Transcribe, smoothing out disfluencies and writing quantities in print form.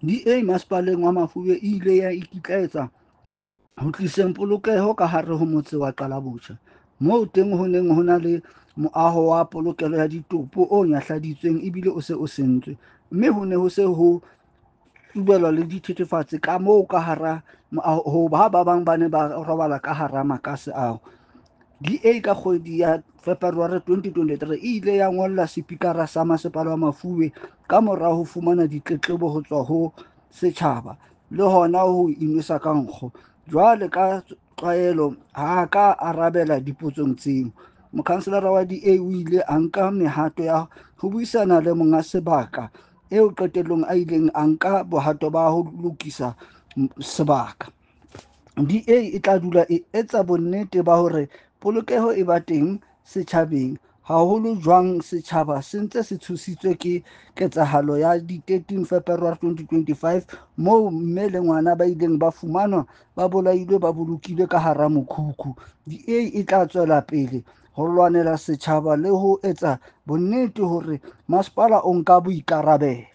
DA Masepaleng wa Mafube e ile ya ikitlaetsa ho tliseng polokeho ka hare ho motse wa Qalabotjha, moo teng ho neng ho na le moaho wa polokelo ya ditopo o nyahladitsweng ebile o se o sentswe, mme ho ne ho se ho tsubelwa le dithethefatsi ka moo ka hara moaho, ha ba bang ba ne ba robala ka hara makase ao. DA ka kgwedi ya February 2023 e ile ya ngolla sepikara sa masepala wa Mafube ka mora ho fumana ditletlebo ho tswa ho setjhaba le hona ho inwesa ka nkgo. Jwale ka tlwaelo ha ka arabela dipotsong tseo. Mokhanselara wa DA o ile a nka mehato ya ho buisana le monga sebaka eo qetellong a ileng a nka bohato ba ho lokisa sebaka. DA e tla dula e etsa bonnete ba hore polokeho e ba teng setjhabeng, haholo jwang setjhaba se ntse se tshositswe ke ketsahalo ya di-13 February 2025 moo mme le ngwana ba ileng ba fumanwa ba bolailwe ba bolokilwe ka hara mokhukhu. DA e tla tswela pele ho lwanela setjhaba le ho etsa bonnete hore masepala o nka boikarabelo.